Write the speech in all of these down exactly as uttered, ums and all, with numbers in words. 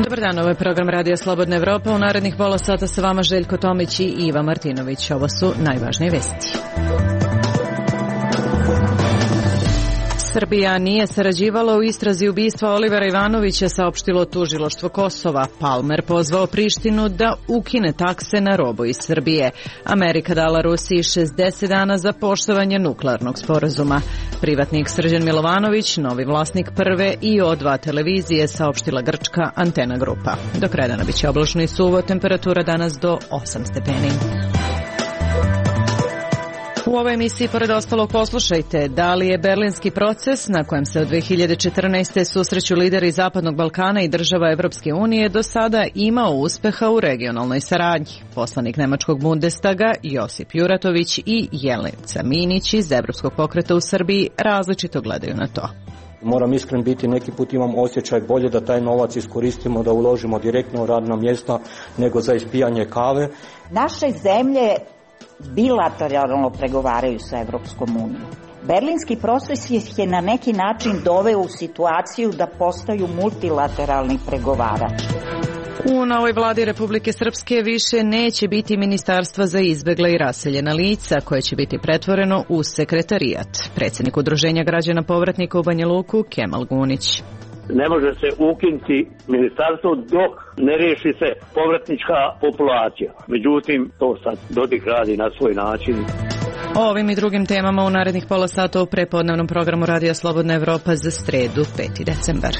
Dobar dan, ovo je program Radija Slobodna Evropa. U narednih pola sata sa vama Željko Tomić i Iva Martinović. Ovo su najvažnije vesti. Srbija nije sarađivala u istrazi ubistva Olivera Ivanovića, saopštilo tužilaštvo Kosova. Palmer pozvao Prištinu da ukine takse na robu iz Srbije. Amerika dala Rusiji šezdeset dana za poštovanje nuklearnog sporazuma. Privatnik Srđan Milovanović, novi vlasnik prve i O dva televizije, saopštila grčka Antena grupa. Do kraja dana biće oblačno i suvo, temperatura danas do osam stepeni. U ovoj emisiji, pored ostalog, poslušajte da li je berlinski proces na kojem se od dve hiljade četrnaeste. susreću lideri Zapadnog Balkana i država Evropske unije do sada imao uspeha u regionalnoj saradnji. Poslanik Nemačkog Bundestaga Josip Juratović i Jelica Minić iz Evropskog pokreta u Srbiji različito gledaju na to. Moram iskren biti, neki put imam osjećaj bolje da taj novac iskoristimo, da uložimo direktno u radna mjesta nego za ispijanje kave. Naše zemlje bilateralno pregovaraju sa Evropskom unijom. Berlinski proces je na neki način doveo u situaciju da postaju multilateralni pregovarač. U novoj vladi Republike Srpske više neće biti ministarstva za izbegla i raseljena lica, koje će biti pretvoreno u sekretarijat. Predsjednik Udruženja građana povratnika u Banja Luku, Kemal Gunić. Ne može se ukinuti ministarstvo dok ne riješi se povratnička populacija. Međutim, to sad Dodik radi na svoj način. O ovim i drugim temama u narednih pola sata u prepodnevnom programu Radija Slobodna Evropa za sredu, peti decembar.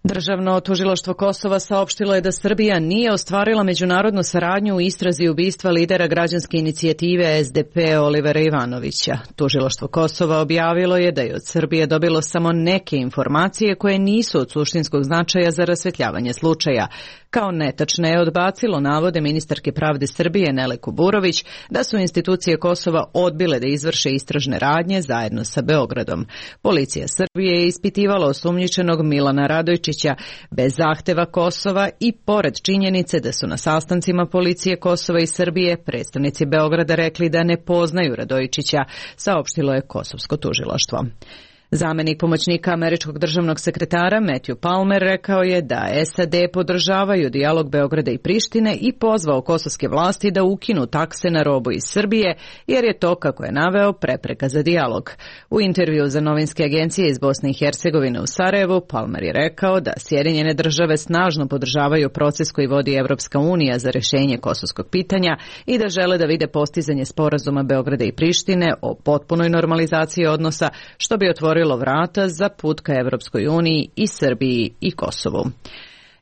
Državno tužilaštvo Kosova saopštilo je da Srbija nije ostvarila međunarodnu saradnju u istrazi ubistva lidera građanske inicijative S D P Olivera Ivanovića. Tužilaštvo Kosova objavilo je da je od Srbije dobilo samo neke informacije koje nisu od suštinskog značaja za rasvetljavanje slučaja. Kao netačne je odbacilo navode ministarke pravde Srbije Nele Kuburović da su institucije Kosova odbile da izvrše istražne radnje zajedno sa Beogradom. Policija Srbije je ispitivala osumnjičenog Milana Radojčića bez zahteva Kosova i pored činjenice da su na sastancima policije Kosova i Srbije predstavnici Beograda rekli da ne poznaju Radojčića, saopštilo je kosovsko tužilaštvo. Zamenik pomoćnika američkog državnog sekretara Matthew Palmer rekao je da S A D podržavaju dijalog Beograda i Prištine i pozvao kosovske vlasti da ukinu takse na robu iz Srbije, jer je to, kako je naveo, prepreka za dijalog. U intervju za novinske agencije iz Bosne i Hercegovine u Sarajevu, Palmer je rekao da Sjedinjene države snažno podržavaju proces koji vodi Evropska unija za rješenje kosovskog pitanja i da žele da vide postizanje sporazuma Beograda i Prištine o potpunoj normalizaciji odnosa, što bi otvorilo vrata za put ka Evropskoj uniji i Srbiji i Kosovu.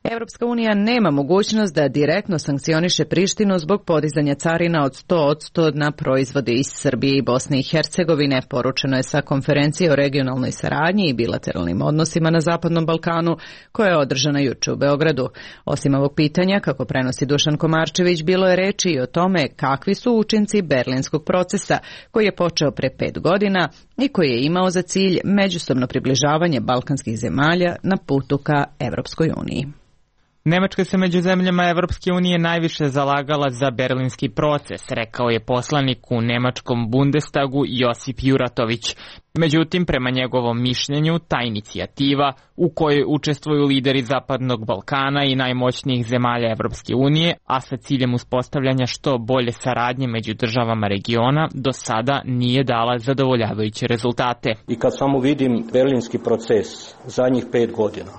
Evropska unija nema mogućnost da direktno sankcioniše Prištinu zbog podizanja carina od sto posto na proizvode iz Srbije i Bosne i Hercegovine, poručeno je sa konferencije o regionalnoj saradnji i bilateralnim odnosima na Zapadnom Balkanu, koja je održana juče u Beogradu. Osim ovog pitanja, kako prenosi Dušan Komarčević, bilo je reči i o tome kakvi su učinci berlinskog procesa, koji je počeo pre pet godina i koji je imao za cilj međusobno približavanje balkanskih zemalja na putu ka Evropskoj uniji. Nemačka se među zemljama Evropske unije najviše zalagala za berlinski proces, rekao je poslanik u Nemačkom Bundestagu Josip Juratović. Međutim, prema njegovom mišljenju, ta inicijativa, u kojoj učestvuju lideri Zapadnog Balkana i najmoćnijih zemalja Evropske unije, a sa ciljem uspostavljanja što bolje saradnje među državama regiona, do sada nije dala zadovoljavajuće rezultate. I kad samo vidim berlinski proces zadnjih pet godina,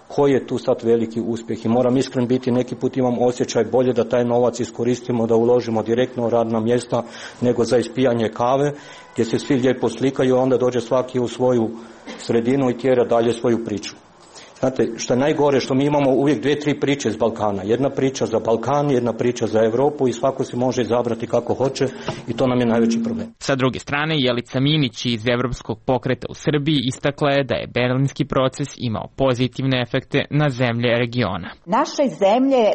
koji je tu sad veliki uspjeh i moram iskren biti, neki put imam osjećaj bolje da taj novac iskoristimo, da uložimo direktno u radna mjesta nego za ispijanje kave, gdje se svi lijepo slikaju, a onda dođe svaki u svoju sredinu i tjera dalje svoju priču. Znate, što je najgore, što mi imamo uvijek dvije, tri priče iz Balkana. Jedna priča za Balkan, jedna priča za Europu i svako si može izabrati kako hoće i to nam je najveći problem. Sa druge strane, Jelica Minić iz Evropskog pokreta u Srbiji istakla je da je berlinski proces imao pozitivne efekte na zemlje regiona. Naše zemlje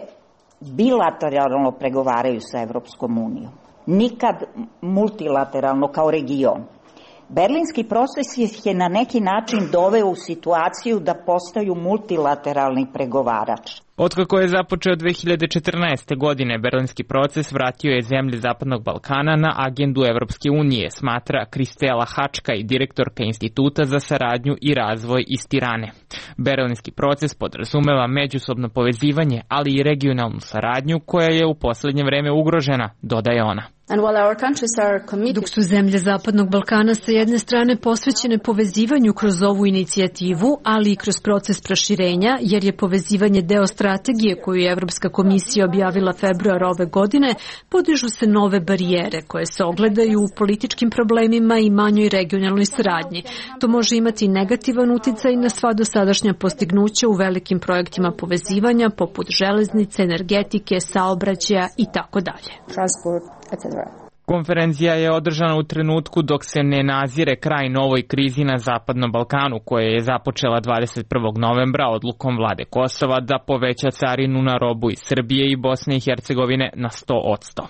bilateralno pregovaraju sa Evropskom unijom. Nikad multilateralno kao region. Berlinski proces ih je na neki način doveo u situaciju da postaju multilateralni pregovarač. Otkako je započeo dve hiljade četrnaeste. godine, Berlinski proces vratio je zemlje Zapadnog Balkana na agendu Evropske unije, smatra Kristela Hačka i direktorka Instituta za saradnju i razvoj iz Tirane. Berlinski proces podrazumeva međusobno povezivanje, ali i regionalnu saradnju koja je u poslednje vreme ugrožena, dodaje ona. Dok su zemlje Zapadnog Balkana sa jedne strane posvećene povezivanju kroz ovu inicijativu, ali i kroz proces proširenja, jer je povezivanje deo strategije koju je Evropska komisija objavila februara ove godine, podižu se nove barijere koje se ogledaju u političkim problemima i manjoj regionalnoj saradnji. To može imati negativan uticaj na sva dosadašnja postignuća u velikim projektima povezivanja, poput železnice, energetike, saobraćaja i tako dalje. Konferencija je održana u trenutku dok se ne nazire kraj novoj krizi na Zapadnom Balkanu, koja je započela dvadeset prvog novembra odlukom vlade Kosova da poveća carinu na robu iz Srbije i Bosne i Hercegovine na sto posto.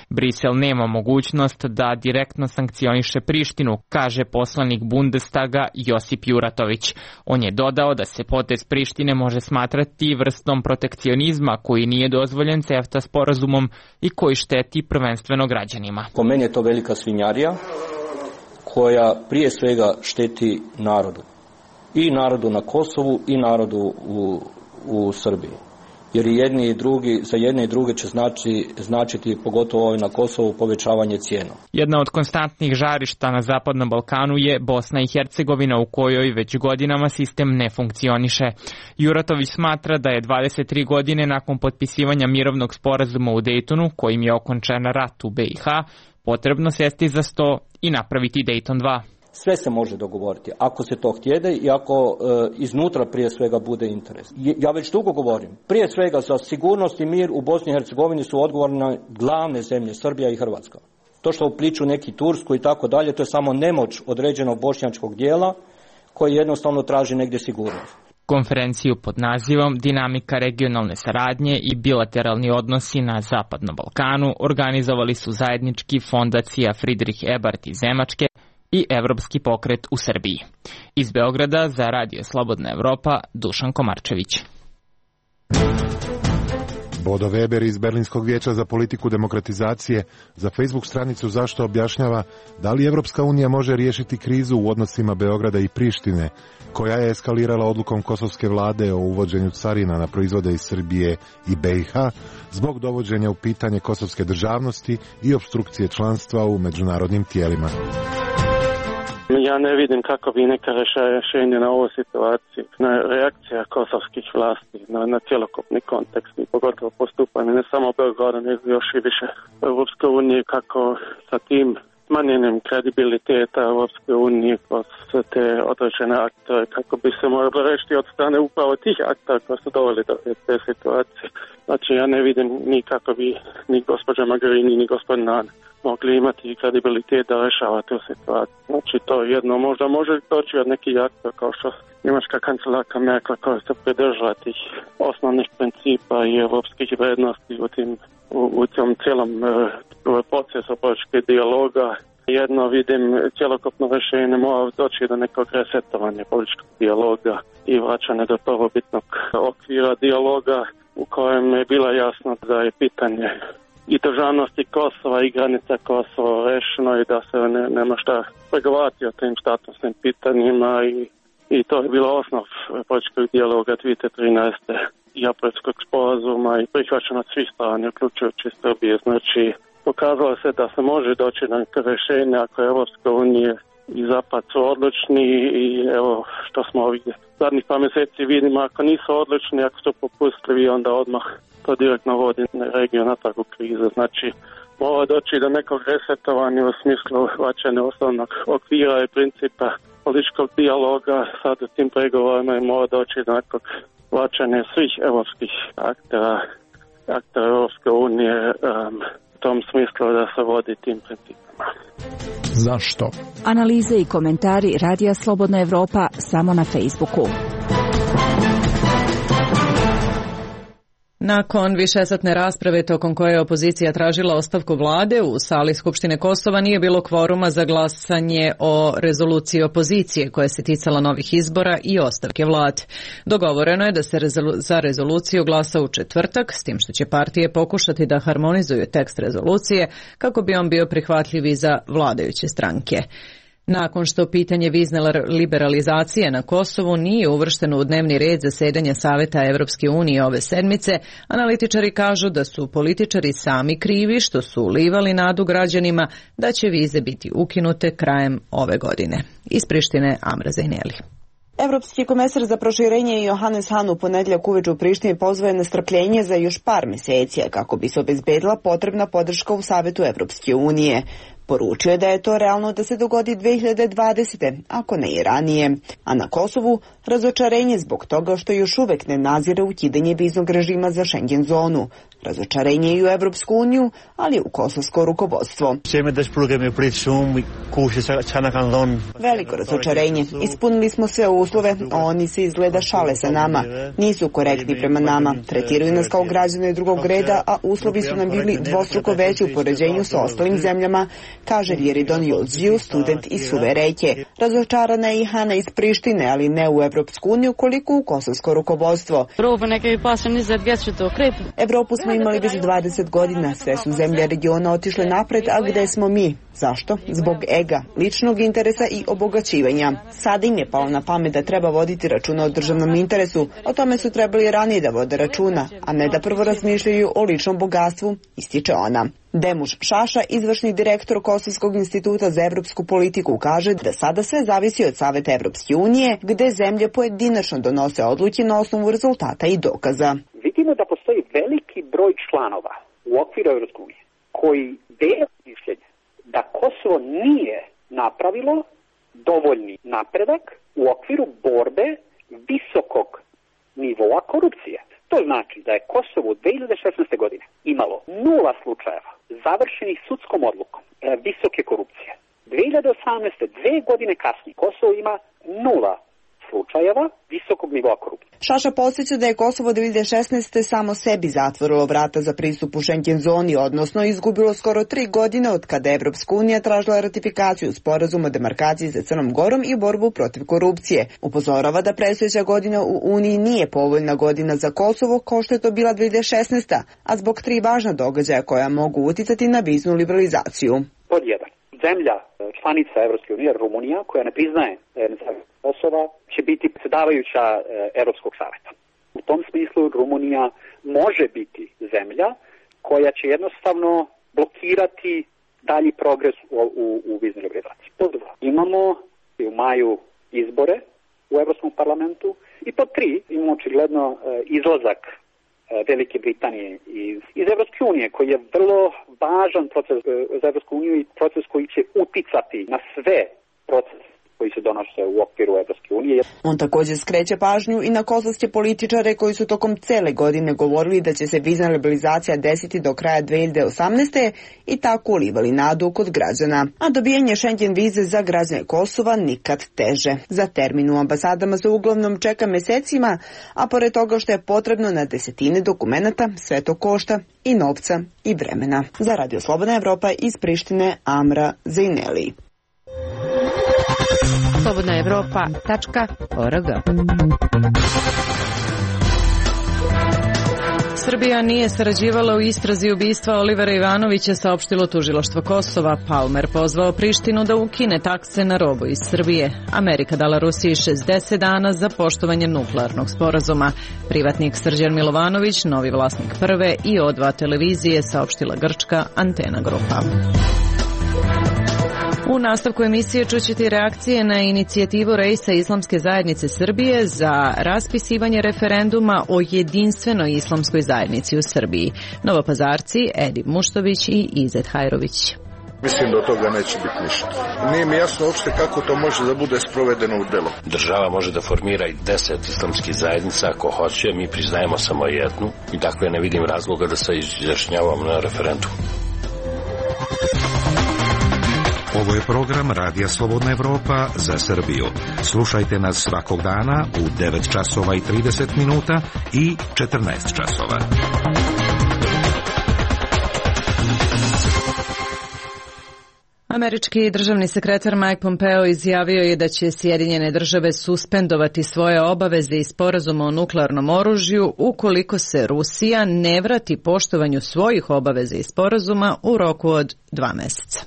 Brisel nema mogućnost da direktno sankcioniše Prištinu, kaže poslanik Bundestaga Josip Juratović. On je dodao da se potez Prištine može smatrati vrstom protekcionizma koji nije dozvoljen CEFTA sporazumom i koji šteti prvenstveno građanima. Po meni je to velika svinjarija koja prije svega šteti narodu. I narodu na Kosovu i narodu u, u Srbiji. Jer jedni i drugi, za jedne i druge će znači, značiti, pogotovo ovaj na Kosovu, povećavanje cijena. Jedna od konstantnih žarišta na Zapadnom Balkanu je Bosna i Hercegovina, u kojoj već godinama sistem ne funkcioniše. Juratović smatra da je dvadeset tri godine nakon potpisivanja mirovnog sporazuma u Dejtonu, kojim je okončan rat u B i H, potrebno sesti za sto i napraviti Dejton dva. Sve se može dogovoriti, ako se to htjede i ako e, iznutra prije svega bude interes. Ja već dugo govorim, prije svega za sigurnost i mir u Bosni i Hercegovini su odgovorne glavne zemlje, Srbija i Hrvatska. To što upliču neki Tursku i tako dalje, to je samo nemoć određenog bošnjačkog dijela koji jednostavno traži negdje sigurnost. Konferenciju pod nazivom Dinamika regionalne saradnje i bilateralni odnosi na Zapadnom Balkanu organizovali su zajednički fondacija Friedrich Ebert iz Nemačke i Evropski pokret u Srbiji. Iz Beograda za Radio Slobodna Evropa, Dušan Komarčević. Bodo Weber iz Berlinskog vijeća za politiku demokratizacije za Facebook stranicu Zašto objašnjava da li Evropska unija može riješiti krizu u odnosima Beograda i Prištine, koja je eskalirala odlukom kosovske vlade o uvođenju carina na proizvode iz Srbije i B i H zbog dovođenja u pitanje kosovske državnosti i opstrukcije članstva u međunarodnim tijelima. Ja ne vidim kako bi neka rješenje na ovu situaciju, na reakcija kosovskih vlasti, na, na cjelokupni kontekst i pogotovo postupanje ne samo Beograda, nego još i više Europske unije, kako sa tim smanjenjem kredibiliteta Europske unije kroz te određene aktore, kako bi se moralo rešiti od strane upravo tih aktora koji su doveli do te situacije. Znači ja ne vidim ni kako bi ni gospođa Mogherini ni gospodin Hahn mogli imati kredibilitet da rešava tu situaciju. Znači to jedno možda može doći od nekih aktora kao što njemačka kancelarka Merkel koja se pridržava tih osnovnih principa i evropskih vrednosti u tim u, u tom cijelom uh, procesu političkog dijaloga. Jedno vidim cjelokupno rješenje mora doći do nekog resetovanja političkog dijaloga i vraćanja do prvobitnog okvira dijaloga u kojem je bilo jasno da je pitanje i državnosti Kosova i granica Kosova rešeno i da se ne, nema šta pregovarati o tim statusnim pitanjima i, i to je bilo osnov političkog dijaloga dvije tisuće trinaeste i aprilskog sporazuma i prihvaćeno od svih strana, uključujući Srbije. Znači, pokazalo se da se može doći na neke rješenja ako je Evropska unija i Zapad su odlučni i evo što smo ovih zadnjih par mjeseci vidimo, ako nisu odlučni, ako su popustljivi, onda odmah to direktno vodi regiju na takvu krizu. Znači, mora doći do nekog resetovanja u smislu vraćanja osnovnog okvira i principa političkog dijaloga sad u tim pregovorima i mora doći do nekog vraćanja svih evropskih aktera, aktera Evropske unije um, u tom smislu da se vodi tim principama. Zašto? Analize i komentari Radija Slobodna Evropa samo na Facebooku. Nakon višesatne rasprave tokom koje je opozicija tražila ostavku vlade, u sali Skupštine Kosova nije bilo kvoruma za glasanje o rezoluciji opozicije koja se ticala novih izbora i ostavke vlade. Dogovoreno je da se za rezoluciju glasa u četvrtak, s tim što će partije pokušati da harmonizuju tekst rezolucije kako bi on bio prihvatljiv i za vladajuće stranke. Nakon što pitanje vizne liberalizacije na Kosovu nije uvršteno u dnevni red zasedanja Saveta Evropske unije ove sedmice, analitičari kažu da su političari sami krivi što su ulivali nadu građanima da će vize biti ukinute krajem ove godine. Iz Prištine, Amra Zajneli. Evropski komesar za proširenje Johannes Hahn u ponedjeljak uveče u Prištini pozvao je na strpljenje za još par meseci kako bi se obezbedila potrebna podrška u Savetu Evropske unije. Poručio je da je to realno da se dogodi dve hiljade dvadesete. ako ne i ranije. A na Kosovu razočarenje zbog toga što još uvek ne nazire ukidanje viznog režima za Schengen zonu. Razočarenje i u Evropsku uniju, ali i u kosovsko rukovodstvo. Veliko razočarenje. Ispunili smo sve uslove, a oni se izgleda šale sa nama. Nisu korektni prema nama. Tretiraju nas kao građane drugog reda, a uslovi su nam bili dvostruko veći u poređenju sa ostalim zemljama, kaže Viridon Julđiju, student iz Suve reke. Razočarana je i Hana iz Prištine, ali ne u Evropsku uniju, koliko u kosovsko rukovodstvo. Evropu smo imali već dvadeset godina, sve su zemlje regiona otišle napred, a gde smo mi? Zašto? Zbog ega, ličnog interesa i obogaćivanja. Sada im je palo na pamet da treba voditi računa o državnom interesu. O tome su trebali ranije da vode računa, a ne da prvo razmišljaju o ličnom bogatstvu, ističe ona. Demuš Šaša, izvršni direktor Kosovskog instituta za evropsku politiku, kaže da sada sve zavisi od Saveta Evropske unije, gde zemlje pojedinačno donose odluke na osnovu rezultata i dokaza. Vidimo da postoji veliki broj članova u okviru Evropske unije koji dele mišljenje da Kosovo nije napravilo dovoljni napredak u okviru borbe visokog nivoa korupcije. To znači da je Kosovo u dve hiljade šesnaeste. godine imalo nula slučajeva završenih sudskom odlukom e, visoke korupcije. dve hiljade osamnaeste. dve godine kasnije, Kosovo ima nula slučajeva visokog nivoa korupcije. Šaša podsjeća da je Kosovo dve hiljade šesnaeste. samo sebi zatvorilo vrata za pristup u Schengen zoni, odnosno izgubilo skoro tri godine od kada je Evropska unija tražila ratifikaciju sporazuma o demarkaciji sa Crnom Gorom i borbu protiv korupcije. Upozorava da predstojeća godina u Uniji nije povoljna godina za Kosovo, kao što je to bila dve hiljade šesnaeste. a zbog tri važna događaja koja mogu uticati na viznu liberalizaciju. Pod jedan. Zemlja članica Evropske unije, Rumunija, koja ne priznaje Kosova, će biti predsjedavajuća Evropskog saveta. U tom smislu Rumunija može biti zemlja koja će jednostavno blokirati dalji progres u, u, u viznoj liberalizaciji. Pod dva. Imamo u maju izbore u Evropskom parlamentu i pod tri imamo očigledno izlazak Velike Britanije iz, iz Evropske unije, koji je vrlo važan proces za Evropsku uniju i proces koji će uticati na sve procese koji se donose u okviru Evropske unije. On također skreće pažnju i na kosovske političare koji su tokom cele godine govorili da će se vizna liberalizacija desiti do kraja dve hiljade osamnaeste. i tako ulivali nadu kod građana. A dobijanje Schengen vize za građane Kosova nikad teže. Za termin u ambasadama se uglavnom čeka mesecima, a pored toga što je potrebno na desetine dokumenata, sve to košta i novca i vremena. Za Radio Slobodna Evropa iz Prištine, Amra Zajneli. slobodna evropa tačka org. Srbija nije sarađivala u istrazi ubistva Olivera Ivanovića, saopštilo tužilaštvo Kosova. Palmer pozvao Prištinu da ukine takse na robu iz Srbije. Amerika dala Rusiji šezdeset dana za poštovanje nuklearnog sporazuma. Privatnik Srđan Milovanović, novi vlasnik Prve i O dva televizije, saopštila grčka Antena grupa. U nastavku emisije čućete reakcije na inicijativu Rejsa Islamske zajednice Srbije za raspisivanje referenduma o jedinstvenoj islamskoj zajednici u Srbiji. Novopazarci Edip Muštović i Izet Hajrović. Mislim da od toga neće biti ništa. Nije mi jasno uopšte kako to može da bude sprovedeno u delo. Država može da formira i deset islamskih zajednica ako hoće, mi priznajemo samo jednu i dakle ne vidim razloga da se izjašnjavamo na referendum. Ovo je program Radija Slobodna Evropa za Srbiju. Slušajte nas svakog dana u devet časova i trideset minuta i četrnaest časova. Američki državni sekretar Mike Pompeo izjavio je da će Sjedinjene države suspendovati svoje obaveze iz sporazuma o nuklearnom oružju ukoliko se Rusija ne vrati poštovanju svojih obaveza iz sporazuma u roku od dva meseca.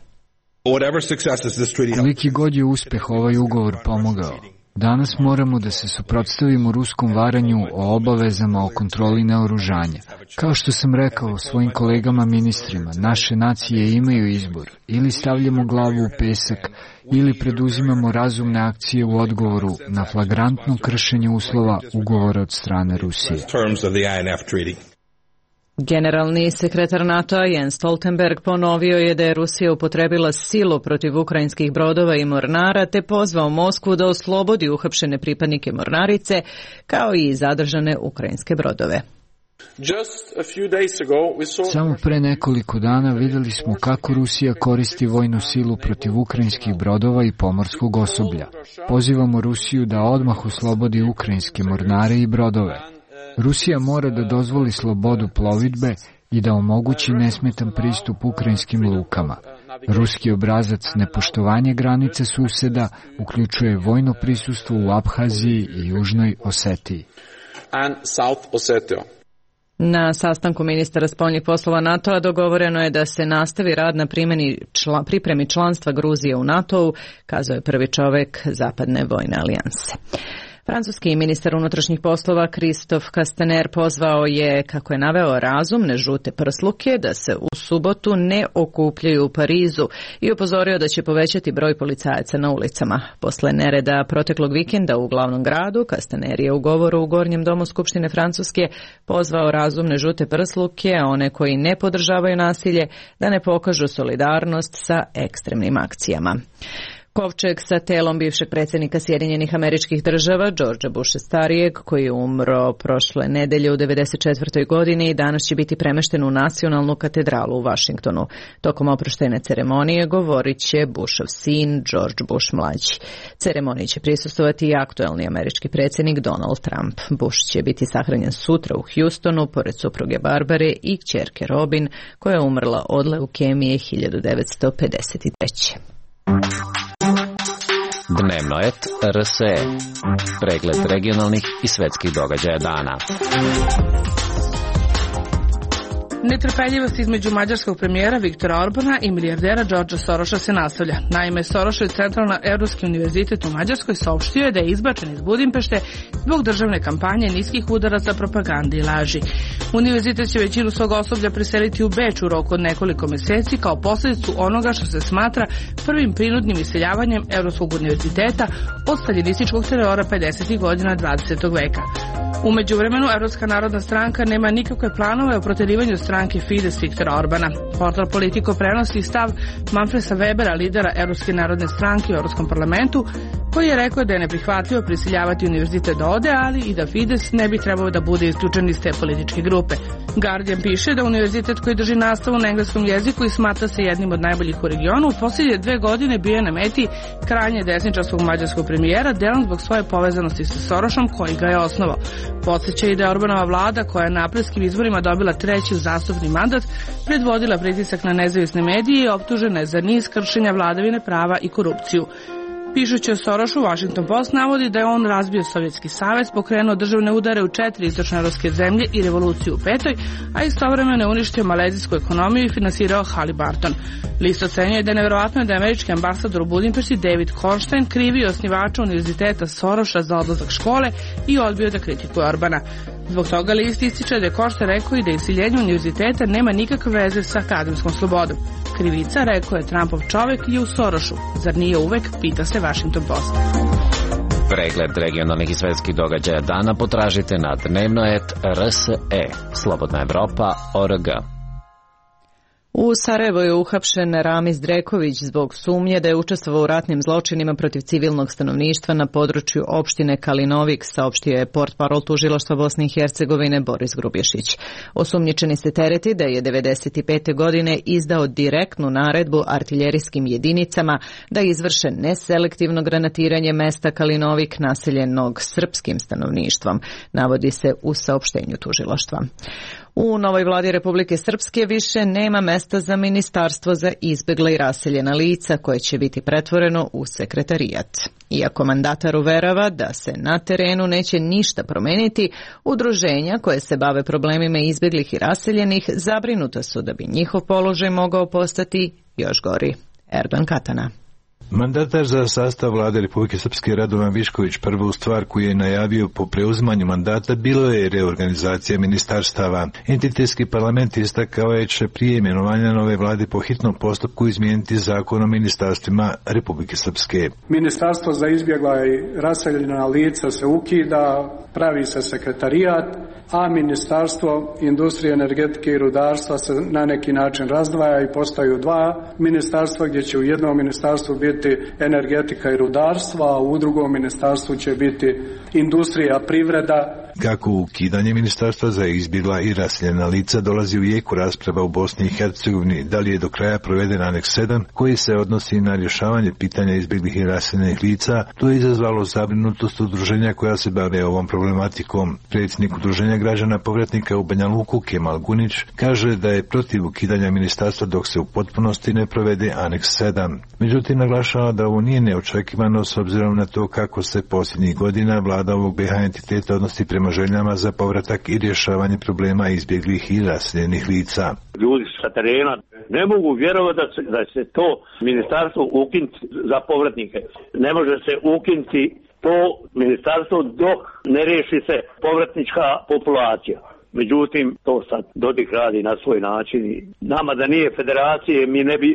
Koliki god je uspeh ovaj ugovor pomogao, danas moramo da se suprotstavimo ruskom varanju o obavezama o kontroli naoružanja. Kao što sam rekao svojim kolegama ministrima, naše nacije imaju izbor. Ili stavljamo glavu u pesak, ili preduzimamo razumne akcije u odgovoru na flagrantno kršenje uslova ugovora od strane Rusije. Generalni sekretar NATO-a Jens Stoltenberg ponovio je da je Rusija upotrebila silu protiv ukrajinskih brodova i mornara te pozvao Moskvu da oslobodi uhapšene pripadnike mornarice kao i zadržane ukrajinske brodove. Samo pre nekoliko dana videli smo kako Rusija koristi vojnu silu protiv ukrajinskih brodova i pomorskog osoblja. Pozivamo Rusiju da odmah oslobodi ukrajinske mornare i brodove. Rusija mora da dozvoli slobodu plovidbe i da omogući nesmetan pristup ukrajinskim lukama. Ruski obrazac nepoštovanje granice suseda uključuje vojno prisustvo u Abhaziji i Južnoj Osetiji. Na sastanku ministara spoljnih poslova NATO-a dogovoreno je da se nastavi rad na primjeni čla, pripremi članstva Gruzije u NATO-u, kazao je prvi čovek Zapadne vojne alijanse. Francuski ministar unutrašnjih poslova Christophe Castaner pozvao je, kako je naveo, razumne žute prsluke da se u subotu ne okupljaju u Parizu i upozorio da će povećati broj policajaca na ulicama. Posle nereda proteklog vikenda u glavnom gradu, Castaner je u govoru u Gornjem domu Skupštine Francuske pozvao razumne žute prsluke, a one koji ne podržavaju nasilje, da ne pokažu solidarnost sa ekstremnim akcijama. Kovčeg sa telom bivšeg predsjednika Sjedinjenih Američkih Država, Georgea Busha starijeg, koji je umro prošle nedelje u devedeset četvrtoj godini, danas će biti premešten u Nacionalnu katedralu u Vašingtonu. Tokom oproštajne ceremonije govorit će Bushov sin, George Bush mlađi. Ceremoniji će prisustovati i aktuelni američki predsjednik Donald Trump. Bush će biti sahranjen sutra u Houstonu, pored supruge Barbare i kćerke Robin, koja je umrla od leukemije hiljadu devetsto pedeset treće. Dnevno et R S E. Pregled regionalnih i svetskih događaja dana. Netrpeljivost između mađarskog premijera Viktora Orbana i milijardera Georgea Soroša se nastavlja. Naime, Sorošev Centralna Evropski univerzitet u Mađarskoj saopštio je da je izbačen iz Budimpešte zbog državne kampanje niskih udaraca, propagande i laži. Univerzitet će većinu svog osoblja preseliti u Beč u roku od nekoliko meseci kao posljedicu onoga što se smatra prvim prinudnim iseljavanjem Evropskog univerziteta od staljinističkog terora pedesetih godina dvadesetog veka. U međuvremenu, Evropska narodna stranka nema nikakve planove o proterivanju stranke Fides Viktora Orbana. Portal Politico prenosi stav Manfreda Webera, lidera Evropske narodne stranke u Evropskom parlamentu, koji je rekao da je neprihvatljivo prisiljavati univerzitet da ode, ali i da Fides ne bi trebao da bude isključen iz te političke grupe. Guardian piše da univerzitet koji drži nastavu na engleskom jeziku i smatra se jednim od najboljih u regionu, u posljednje dve godine bio na meti krajnje desničarskog mađarskog premijera, delom zbog svoje povezanosti sa Sorošom koji ga je osnovao. Podsjeća i da je Orbanova vlada, koja je na aprilskim izborima dobila treći uzastopni mandat, predvodila pritisak na nezavisne medije i optužena je za niz kršenja vladavine prava i korupciju. Pišući o Sorošu, Washington Post navodi da je on razbio Sovjetski savez, pokrenuo državne udare u četiri istočnoevropske zemlje i revoluciju u petoj, a istovremeno je uništio malezijsku ekonomiju i finansirao Halliburton. List ocenjuje da je nevjerovatno da je američki ambasador u Budimpešti David Kornstein krivio osnivača univerziteta Soroša za odlazak škole i odbio da kritikuje Orbana. Zbog toga list ističe da je Kornstein rekao i da iseljenje univerziteta nema nikakve veze sa akademskom slobodom. Krivica, rekao je Trumpov čovek, je u Sorošu. Zar nije uvek, pita se Washington Post. Pregled regionalnih i svetskih događaja dana potražite na dnevno et R S E. Slobodna Evropa, O R G. U Sarajevu je uhapšen Ramiz Dreković zbog sumnje da je učestvovao u ratnim zločinima protiv civilnog stanovništva na području opštine Kalinovik, saopštio je portparol tužilaštva Bosne i Hercegovine Boris Grubješić. Osumnjičeni se tereti da je devedeset pete godine izdao direktnu naredbu artiljerijskim jedinicama da izvrše neselektivno granatiranje mesta Kalinovik naseljenog srpskim stanovništvom, navodi se u saopštenju tužilaštva. U novoj vladi Republike Srpske više nema mesta za ministarstvo za izbjegla i raseljena lica koje će biti pretvoreno u sekretarijat. Iako mandatar uverava da se na terenu neće ništa promeniti, udruženja koje se bave problemima izbjeglih i raseljenih zabrinuta su da bi njihov položaj mogao postati još gori. Erdogan Katana. Mandatar za sastav vlade Republike Srpske Radovan Višković prvu stvar koju je najavio po preuzimanju mandata bilo je reorganizacija ministarstava. Entitetski parlament istakao je će prije imenovanja nove vlade po hitnom postupku izmijeniti zakon o ministarstvima Republike Srpske. Ministarstvo za izbjegla i raseljena lica se ukida, pravi se sekretarijat, a Ministarstvo industrije, energetike i rudarstva se na neki način razdvaja i postaju dva ministarstva, gdje će u jednom ministarstvu biti energetika i rudarstva, a u drugom ministarstvu će biti industrija, privreda. Kako ukidanje ministarstva za izbjegla i raseljena lica dolazi u jeku rasprava u Bosni i Hercegovini, da li je do kraja proveden aneks sedam koji se odnosi na rješavanje pitanja izbjeglih i raseljenih lica, to je izazvalo zabrinutost udruženja koja se bave ovom problematikom. Predsjednik udruženja građana povratnika u Banja Luku Kemal Gunić kaže da je protiv ukidanja ministarstva dok se u potpunosti ne provede aneks sedam. Međutim, naglašava da ovo nije neočekivano s obzirom na to kako se posljednjih godina vlada ovog B H entiteta odnosi prema željama za povratak i rješavanje problema izbjeglih i raseljenih lica. Ljudi sa terena ne mogu vjerovati da se, da se to ministarstvo ukinuti za povratnike. Ne može se ukinuti to ministarstvo dok ne riješi se povratnička populacija. Međutim, to sad Dodik radi na svoj način i nama da nije federacije mi ne bi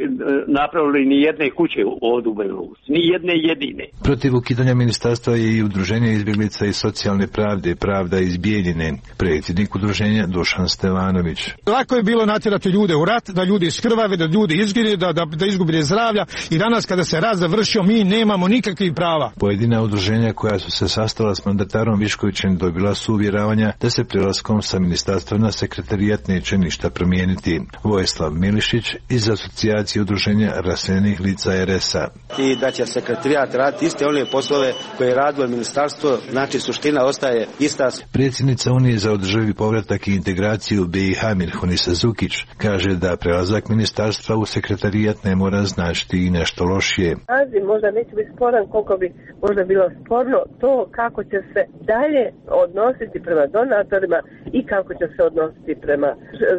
napravili ni jedne kuće od u Belorusi, ni jedne jedine. Protiv ukidanja ministarstva je i udruženje izbjeglica i socijalne pravde, Pravda iz Bijeljine, predsjednik udruženja Dušan Stevanović. Lako je bilo natjerati ljude u rat, da ljudi iskrvave, da ljudi izgine, da, da, da izgubili zdravlja i danas kada se rat završio mi nemamo nikakvih prava. Pojedina udruženja koja su se sastala s mandatarom Viškovićem dobila su uvjeravanja da se prelaskom sa ministarstva na sekretarijat neće ništa promijeniti. Vojislav Milišić iz asocijacije udruženja raseljenih lica R S A. I da će sekretarijat raditi iste one poslove koje je radilo ministarstvo, znači suština ostaje ista. Predsjednica Unije za održivi povratak i integraciju B i H Mirhunisa Zukić kaže da prelazak ministarstva u sekretarijat ne mora značiti i nešto lošije. Naziv možda neće biti sporan koliko bi možda bilo sporno to kako će se dalje odnositi prema donatorima i kako će se odnositi prema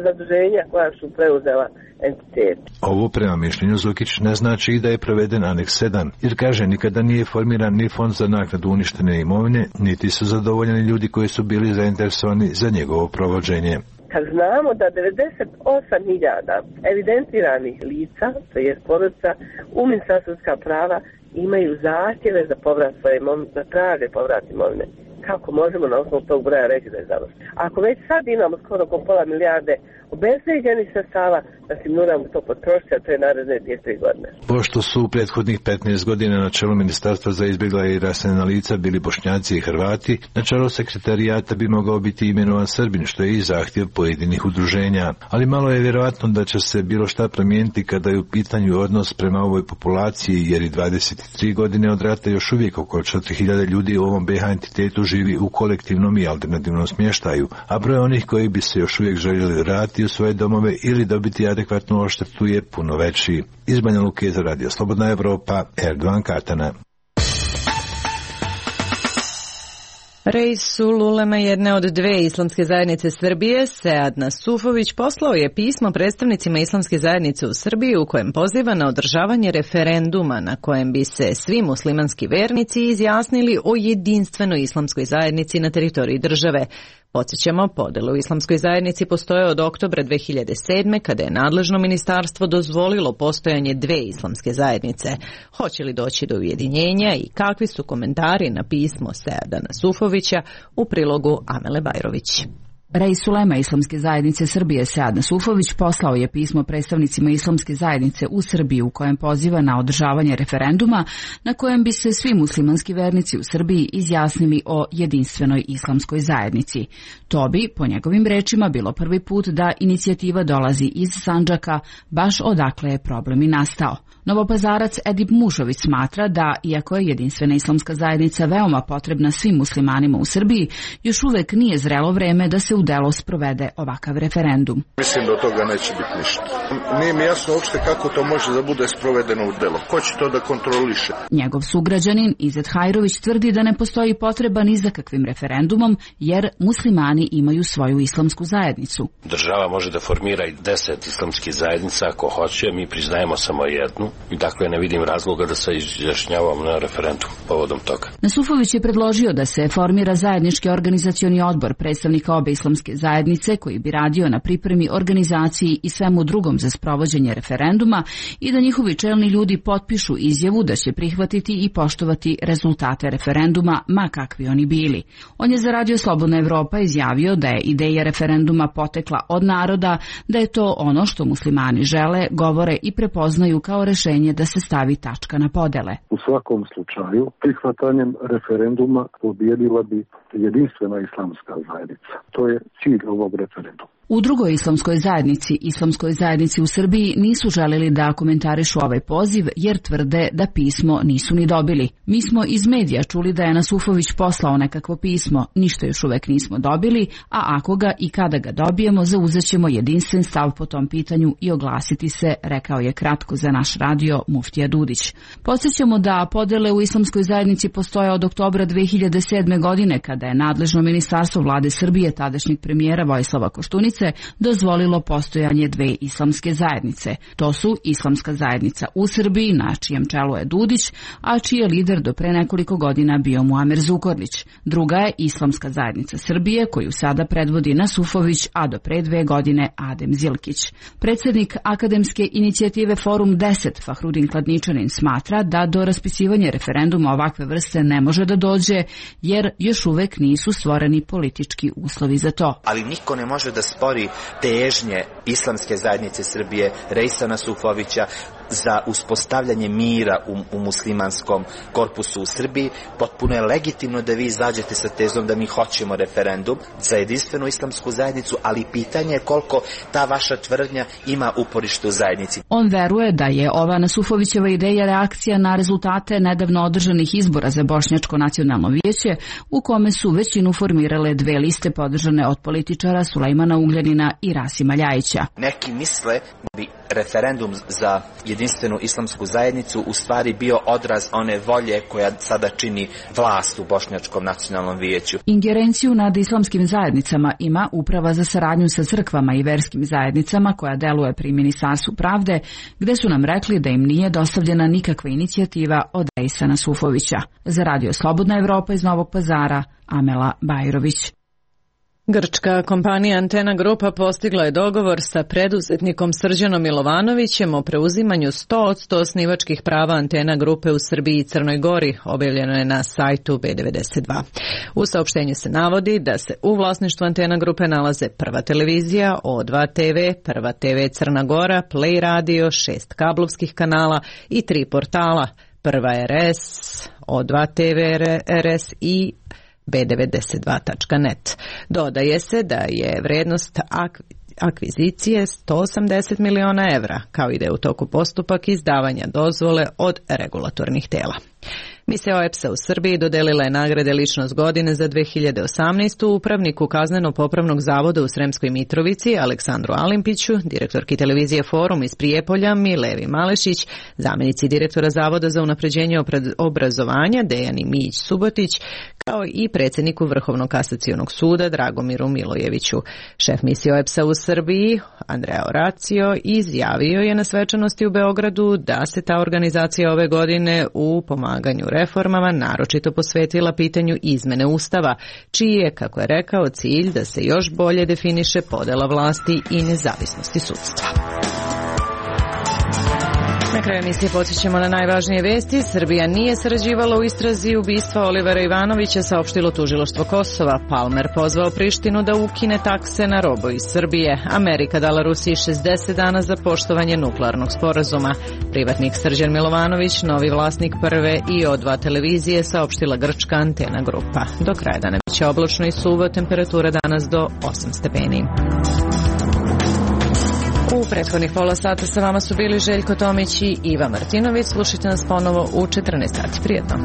zaduženja koja su preuzela entitet. Ovo prema mišljenju Zukić ne znači i da je proveden aneks sedam, jer kaže nikada nije formiran ni fond za naknadu uništene imovine, niti su zadovoljeni ljudi koji su bili zainteresovani za njegovo provođenje. Kad znamo da devedeset osam hiljada evidentiranih lica, to je porodica, u Ministarstvu ljudska prava imaju zahtjeve za povrat svoje imovine, da traže povrat imovine. Kako možemo na osnovu tog broja reći da je završeno? Ako već sad imamo skoro oko pola milijarde obezvrijeđenih sredstava, da si moramo to potrošiti, a to je naredne dvije tri godine. Pošto su u prethodnih petnaest godina na čelu Ministarstva za izbjegla i raseljena lica bili Bošnjaci i Hrvati, na čelo sekretarijata bi mogao biti imenovan Srbin, što je i zahtjev pojedinih udruženja. Ali malo je vjerojatno da će se bilo šta promijeniti kada je u pitanju odnos prema ovoj populaciji, jer i dvadeset tri godine od rata još uvijek oko četiri hiljade ljudi u ovom B H entitetu živi u kolektivnom i alternativnom smještaju, a broj onih koji bi se još uvijek željeli vratiti u svoje domove ili dobiti adekvatnu odštetu je puno veći. Iz Banja Luke za Radio Slobodna Evropa, Erdogan Katana. Reis ulema jedne od dve islamske zajednice Srbije, Sead Nasufović, poslao je pismo predstavnicima islamske zajednice u Srbiji u kojem poziva na održavanje referenduma na kojem bi se svi muslimanski vernici izjasnili o jedinstvenoj islamskoj zajednici na teritoriji države. Podsjećamo, podjele u islamskoj zajednici postoje od oktobra dve hiljade sedme. kada je nadležno ministarstvo dozvolilo postojanje dve islamske zajednice. Hoće li doći do ujedinjenja i kakvi su komentari na pismo Seada Nasufovića u prilogu Amele Bajrović? Reis ulema Islamske zajednice Srbije Sead Nasufović poslao je pismo predstavnicima Islamske zajednice u Srbiji u kojem poziva na održavanje referenduma na kojem bi se svi muslimanski vernici u Srbiji izjasnili o jedinstvenoj islamskoj zajednici. To bi, po njegovim rečima, bilo prvi put da inicijativa dolazi iz Sandžaka, baš odakle je problem i nastao. Novopazarac Edip Mušović smatra da, iako je jedinstvena islamska zajednica veoma potrebna svim muslimanima u Srbiji, još uvek nije zrelo vreme da se u delo sprovede ovakav referendum. Mislim da od toga neće biti ništa. Nije mi jasno uopšte kako to može da bude sprovedeno u delo. Ko će to da kontroliše? Njegov sugrađanin Izet Hajrović tvrdi da ne postoji potreba ni za kakvim referendumom, jer muslimani imaju svoju islamsku zajednicu. Država može da formira i deset islamskih zajednica ako hoće, mi priznajemo samo jednu i dakle ne vidim razloga da se izjašnjavamo na referendum povodom toga. Nasufović je predložio da se formira zajednički organizacioni odbor predstavnika obe islamske zajednice koji bi radio na pripremi, organizaciji i svemu drugom za sprovođenje referenduma i da njihovi čelni ljudi potpišu izjavu da će prihvatiti i poštovati rezultate referenduma, ma kakvi oni bili. On je za Radio Slobodna Evropa izjavio da je ideja referenduma potekla od naroda, da je to ono što muslimani žele, govore i prepoznaju kao rešenje da se stavi tačka na podele. U svakom slučaju, prihvatanjem referenduma pobijedila bi jedinstvena islamska zajednica. To je cilj ovog referenduma. U drugoj islamskoj zajednici, islamskoj zajednici u Srbiji, nisu želeli da komentarišu ovaj poziv jer tvrde da pismo nisu ni dobili. Mi smo iz medija čuli da je Nasufović poslao nekakvo pismo, ništa još uvek nismo dobili, a ako ga i kada ga dobijemo, zauzećemo jedinstven stav po tom pitanju i oglasiti se, rekao je kratko za naš radio Muftija Dudić. Podsjećamo da podele u islamskoj zajednici postoje od oktobra dve hiljade sedme. godine, kada je nadležno ministarstvo vlade Srbije tadašnjeg premijera Vojislava Koštunice dozvolilo postojanje dve islamske zajednice. To su Islamska zajednica u Srbiji, na čijem čelu je Dudić, a čiji je lider do pre nekoliko godina bio Muamer Zukorlić. Druga je Islamska zajednica Srbije, koju sada predvodi Nasufović, a do pre dve godine Adem Zilkić. Predsednik akademske inicijative Forum deset, Fahrudin Kladničanin, smatra da do raspisivanja referenduma ovakve vrste ne može da dođe, jer još uvek nisu stvoreni politički uslovi za to. Ali niko ne može da spori težnje Islamske zajednice Srbije, Reisa Nasufovića, za uspostavljanje mira u, u muslimanskom korpusu u Srbiji. Potpuno je legitimno da vi izađete sa tezom da mi hoćemo referendum za jedinstvenu islamsku zajednicu, ali pitanje je koliko ta vaša tvrdnja ima uporište u zajednici. On veruje da je ova Nasufovićeva ideja reakcija na rezultate nedavno održanih izbora za Bošnjačko nacionalno vijeće, u kome su većinu formirale dve liste podržane od političara Sulejmana Ugljanina i Rasima Ljajića. Neki misle bi referendum za jedinstvenu islamsku zajednicu u stvari bio odraz one volje koja sada čini vlast u Bošnjačkom nacionalnom vijeću. Ingerenciju nad islamskim zajednicama ima Uprava za saradnju sa crkvama i verskim zajednicama koja deluje pri Ministarstvu pravde, gde su nam rekli da im nije dostavljena nikakva inicijativa od Reisa Nasufovića. Za Radio Slobodna Evropa iz Novog Pazara, Amela Bajrović. Grčka kompanija Antena Grupa postigla je dogovor sa preduzetnikom Srđanom Milovanovićem o preuzimanju sto posto osnivačkih prava Antena Grupe u Srbiji i Crnoj Gori, objavljeno je na sajtu B devedeset dva. U saopštenju se navodi da se u vlasništvu Antena Grupe nalaze Prva televizija, O dva te ve, Prva te ve Crna Gora, Play radio, šest kablovskih kanala i tri portala, Prva er es, O dva te ve er es i be devedeset dva tačka net. Dodaje se da je vrednost akvizicije sto osamdeset miliona evra, kao i da je u toku postupak izdavanja dozvole od regulatornih tela. Misija O E P S-a u Srbiji dodelila je nagrade Ličnost godine za dve hiljade osamnaestu. upravniku Kazneno-popravnog zavoda u Sremskoj Mitrovici Aleksandru Alimpiću, direktorki televizije Forum iz Prijepolja Milevi Malešić, zamjenici direktora Zavoda za unapređenje obrazovanja Dejani Mijić Subotić, kao i predsjedniku Vrhovnog kasacionog suda Dragomiru Milojeviću. Šef misije O E P S-a u Srbiji, Andrea Oracio, izjavio je na svečanosti u Beogradu da se ta organizacija ove godine u pomaganju reformama naročito posvetila pitanju izmene Ustava, čiji je, kako je rekao, cilj da se još bolje definiše podela vlasti i nezavisnosti sudstva. kraju emisije podsjećamo na najvažnije vesti. Srbija nije sarađivala u istrazi ubistva Olivera Ivanovića, saopštilo tužilaštvo Kosova. Palmer pozvao Prištinu da ukine takse na robu iz Srbije. Amerika dala Rusiji šezdeset dana za poštovanje nuklearnog sporazuma. Privatnik Srđan Milovanović, novi vlasnik prve i O dva televizije, saopštila grčka Antena grupa. Do kraja dana biće oblačno i suvo, temperatura danas do osam stepeni. U prethodnih pola sata sa vama su bili Željko Tomić i Iva Martinović. Slušajte nas ponovo u četrnaest sati. Prijetno.